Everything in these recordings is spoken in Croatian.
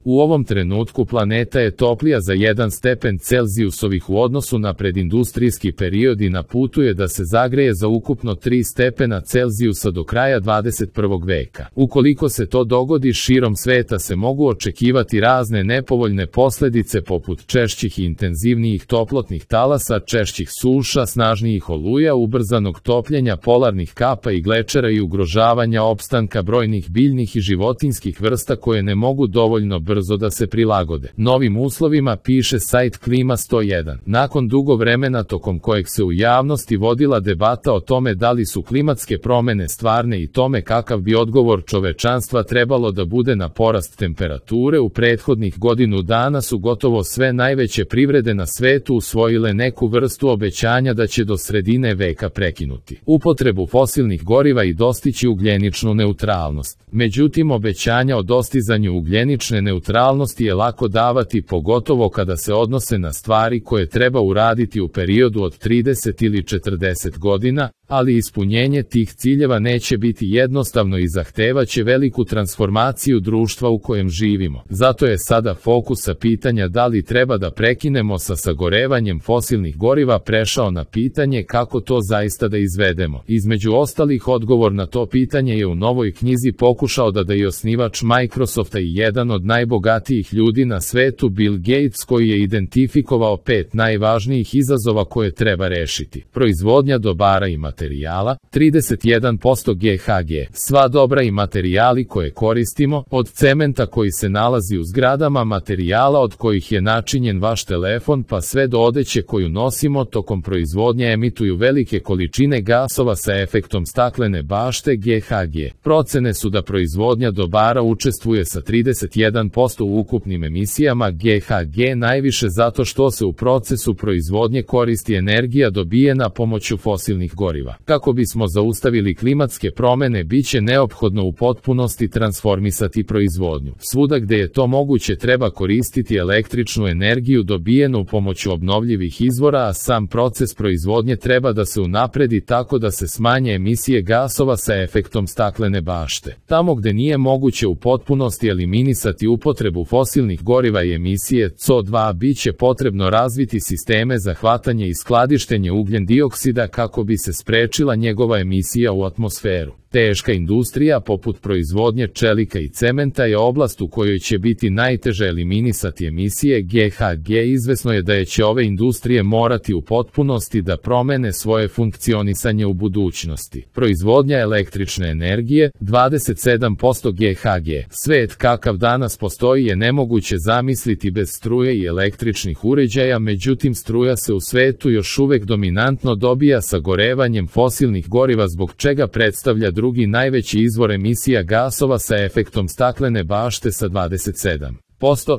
U ovom trenutku planeta je toplija za 1 stepen Celzijusovih u odnosu na predindustrijski period i na putu je da se zagreje za ukupno 3 stepena Celzijusa do kraja 21. veka. Ukoliko se to dogodi, širom sveta se mogu očekivati razne nepovoljne posljedice poput češćih i intenzivnijih toplotnih talasa, češćih suša, snažnijih oluja, ubrzanog topljenja polarnih kapa i glečera i ugrožavanja opstanka brojnih biljnih i životinjskih vrsta koje ne mogu dovoljno brzo da se prilagode novim uslovima, piše sajt Klima 101. Nakon dugo vremena tokom kojeg se u javnosti vodila debata o tome da li su klimatske promjene stvarne i tome kakav bi odgovor čovečanstva trebalo da bude na porast temperature, u prethodnih godinu dana su gotovo sve najveće privrede na svetu usvojile neku vrstu obećanja da će do sredine veka prekinuti upotrebu fosilnih goriva i dostići ugljeničnu neutralnost. Međutim, obećanja o dostizanju ugljenične neutralnosti je lako davati, pogotovo kada se odnose na stvari koje treba uraditi u periodu od 30 ili 40 godina, ali ispunjenje tih ciljeva neće biti jednostavno i zahtevaće veliku transformaciju društva u kojem živimo. Zato je sada fokusa pitanja da li treba da prekinemo sa sagorevanjem fosilnih goriva prešao na pitanje kako to zaista da izvedemo. Između ostalih, odgovor na to pitanje je u novoj knjizi pokušao da i osnivač Microsofta i jedan od najbogatijih ljudi na svetu, Bill Gates, koji je identifikovao 5 najvažnijih izazova koje treba rešiti. Proizvodnja dobara i materijala, 31% GHG. Sva dobra i materijali koje koristimo, od cementa koji se nalazi u zgradama, materijala od kojih je načinjen vaš telefon, pa sve do odeće koju nosimo, tokom proizvodnje emituju velike količine gasova sa efektom staklene bašte GHG. Procene su da proizvodnja dobara učestvuje sa 31% u ukupnim emisijama GHG, najviše zato što se u procesu proizvodnje koristi energija dobijena pomoću fosilnih goriva. Kako bismo zaustavili klimatske promjene, biće neophodno u potpunosti transformisati proizvodnju. Svuda gde je to moguće treba koristiti električnu energiju dobijenu pomoću obnovljivih izvora, a sam proces proizvodnje treba da se unapredi tako da se smanje emisije gasova sa efektom staklene bašte. Tamo gde nije moguće u potpunosti eliminisati upotrebu fosilnih goriva i emisije CO2, biće potrebno razviti sisteme za hvatanje i skladištenje ugljen dioksida kako bi se sprečila njegova emisija u atmosferu. Teška industrija poput proizvodnje čelika i cementa je oblast u kojoj će biti najteže eliminisati emisije GHG. Izvesno je da će ove industrije morati u potpunosti da promene svoje funkcionisanje u budućnosti. Proizvodnja električne energije, 27% GHG. Svet kakav danas postoji je nemoguće zamisliti bez struje i električnih uređaja, međutim struja se u svetu još uvek dominantno dobija sagorevanjem fosilnih goriva, zbog čega predstavlja drugi najveći izvor emisija gasova sa efektom staklene bašte sa 27%.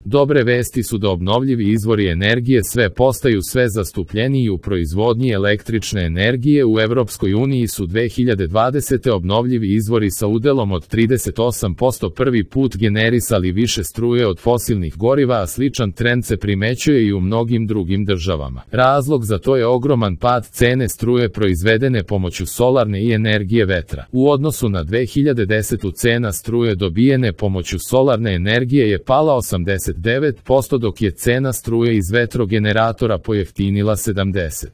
Dobre vesti su da obnovljivi izvori energije sve postaju sve zastupljeniji u proizvodnji električne energije. U Evropskoj uniji su 2020. obnovljivi izvori sa udelom od 38% prvi put generisali više struje od fosilnih goriva, a sličan trend se primećuje i u mnogim drugim državama. Razlog za to je ogroman pad cene struje proizvedene pomoću solarne i energije vetra. U odnosu na 2010. cena struje dobijene pomoću solarne energije je pala 89%, dok je cena struje iz vetrogeneratora pojeftinila 70%.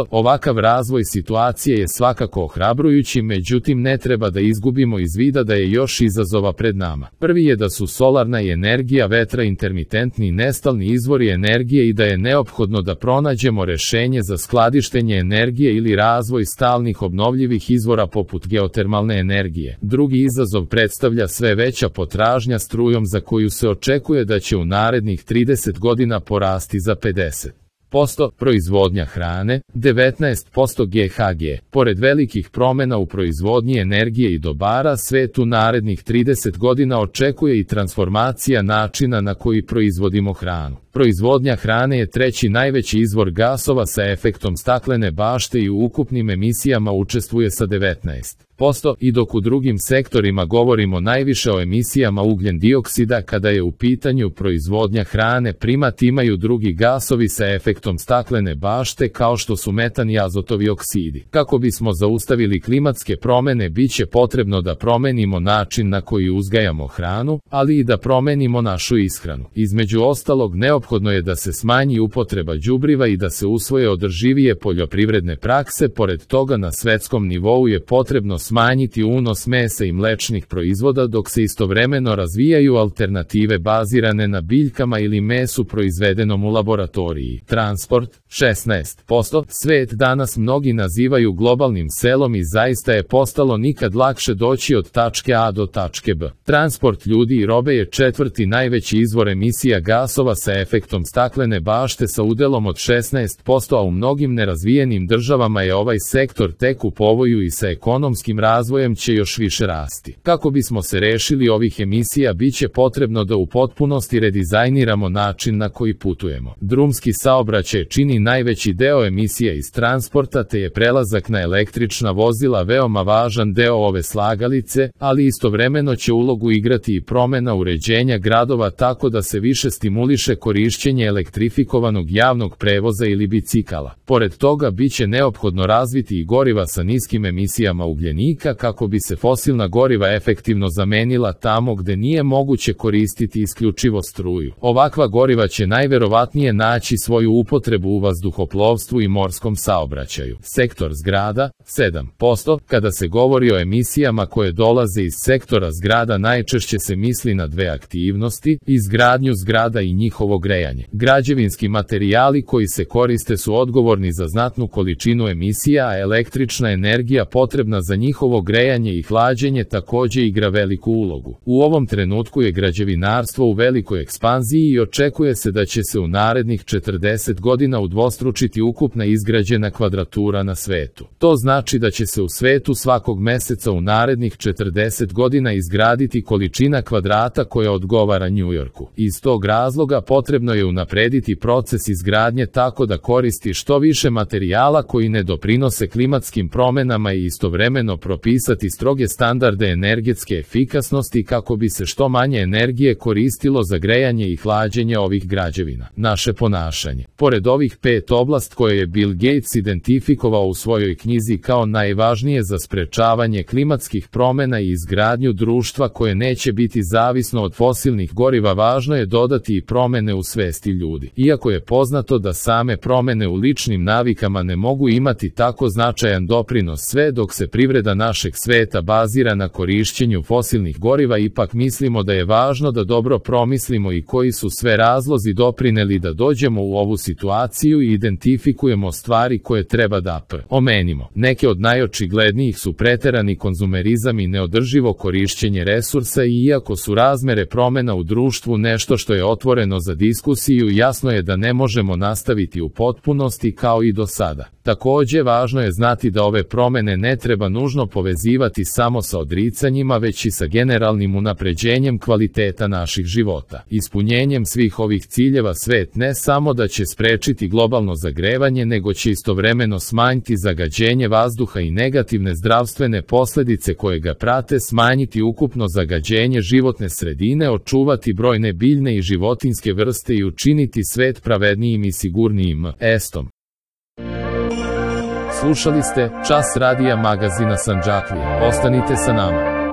Ovakav razvoj situacije je svakako ohrabrujući, međutim ne treba da izgubimo iz vida da je još izazova pred nama. Prvi je da su solarna i energija vetra intermitentni nestalni izvori energije i da je neophodno da pronađemo rešenje za skladištenje energije ili razvoj stalnih obnovljivih izvora poput geotermalne energije. Drugi izazov predstavlja sve veća potražnja strujom, za koju se očekuje da će u narednih 30 godina porasti za 50%. Proizvodnja hrane, 19% GHG. Pored velikih promjena u proizvodnji energije i dobara, svet u narednih 30 godina očekuje i transformacija načina na koji proizvodimo hranu. Proizvodnja hrane je treći najveći izvor gasova sa efektom staklene bašte i u ukupnim emisijama učestvuje sa 19%, i dok u drugim sektorima govorimo najviše o emisijama ugljen dioksida, kada je u pitanju proizvodnja hrane primat imaju drugi gasovi sa efektom staklene bašte kao što su metan i azotovi oksidi. Kako bismo zaustavili klimatske promjene, bit će potrebno da promenimo način na koji uzgajamo hranu, ali i da promenimo našu ishranu. Između ostalog, neophodno je da se smanji upotreba đubriva i da se usvoje održivije poljoprivredne prakse. Pored toga, na svetskom nivou je potrebno smanjiti unos mesa i mlečnih proizvoda, dok se istovremeno razvijaju alternative bazirane na biljkama ili mesu proizvedenom u laboratoriji. Transport, 16%. Svet danas mnogi nazivaju globalnim selom i zaista je postalo nikad lakše doći od tačke A do tačke B. Transport ljudi i robe je četvrti najveći izvor emisija gasova sa efektom staklene bašte sa udelom od 16%, a u mnogim nerazvijenim državama je ovaj sektor tek u povoju i sa ekonomskim razvojem će još više rasti. Kako bismo se rešili ovih emisija, bit će potrebno da u potpunosti redizajniramo način na koji putujemo. Drumski saobraćaj čini najveći deo emisija iz transporta, te je prelazak na električna vozila veoma važan deo ove slagalice, ali istovremeno će ulogu igrati i promena uređenja gradova tako da se više stimuliše korišćenje elektrifikovanog javnog prevoza ili bicikala. Pored toga, bit će neophodno razviti i goriva sa niskim emisijama ugljenika kako bi se fosilna goriva efektivno zamenila tamo gde nije moguće koristiti isključivo struju. Ovakva goriva će najverovatnije naći svoju upotrebu u vazduhoplovstvu i morskom saobraćaju. Sektor zgrada, 7%. Kada se govori o emisijama koje dolaze iz sektora zgrada, najčešće se misli na dve aktivnosti: izgradnju zgrada i njihovo grejanje. Građevinski materijali koji se koriste su odgovorni za znatnu količinu emisija, a električna energija potrebna za njihovo grejanje i hlađenje takođe igra veliku ulogu. U ovom trenutku je građevinarstvo u velikoj ekspanziji i očekuje se da će se u narednih 40 godina udvostručiti ukupna izgrađena kvadratura na svetu. To znači da će se u svetu svakog meseca u narednih 40 godina izgraditi količina kvadrata koja odgovara Njujorku. Iz tog razloga potrebno je unaprediti proces izgradnje tako da koristi što više materijala koji ne doprinose klimatskim promenama i istovremeno propisati stroge standarde energetske efikasnosti kako bi se što manje energije koristilo za grejanje i hlađenje ovih građevina. Naše ponašanje. Pored ovih 5 oblasti koje je Bill Gates identifikovao u svojoj knjizi kao najvažnije za sprečavanje klimatskih promena i izgradnju društva koje neće biti zavisno od fosilnih goriva, važno je dodati i promene u svesti ljudi. Iako je poznato da same promene u ličnim navikama ne mogu imati tako značajan doprinos sve dok se privreda našeg sveta bazira na korišćenju fosilnih goriva, ipak mislimo da je važno da dobro promislimo i koji su sve razlozi doprineli da dođemo u ovu situaciju i identifikujemo stvari koje treba da promenimo. Neke od najočiglednijih su preterani konzumerizam i neodrživo korišćenje resursa, i iako su razmere promena u društvu nešto što je otvoreno za diskusiju, jasno je da ne možemo nastaviti u potpunosti kao i do sada. Takođe, važno je znati da ove promene ne treba nužno povezivati samo sa odricanjima, već i sa generalnim unapređenjem kvaliteta naših života. Ispunjenjem svih ovih ciljeva svet ne samo da će sprečiti globalno zagrevanje, nego će istovremeno smanjiti zagađenje vazduha i negativne zdravstvene posledice koje ga prate, smanjiti ukupno zagađenje životne sredine, očuvati brojne biljne i životinjske vrste i učiniti svet pravednijim i sigurnijim. Slušali ste Čas radija magazina Sandžaklija. Ostanite sa nama.